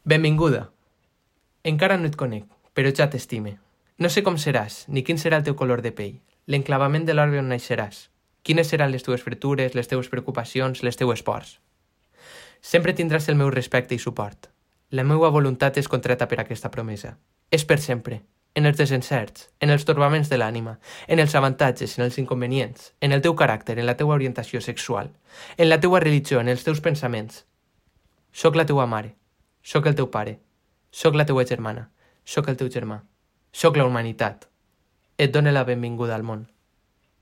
Benvinguda. Encara no et conec, però ja t'estime. No sé com seràs, ni quin serà el teu color de pell, l'enclavament de l'orbe on naixeràs, quines seran les teves fretures, les teves preocupacions, les teues pors. Sempre tindràs el meu respecte i suport. La meva voluntat és contreta per aquesta promesa. És per sempre, en els desencerts, en els torbaments de l'ànima, en els avantatges, en els inconvenients, en el teu caràcter, en la teua orientació sexual, en la teua religió, en els teus pensaments. Soc la teua mare, soc el teu pare, soc la teua germana, soc el teu germà, soc la humanitat. Et dono la benvinguda al món.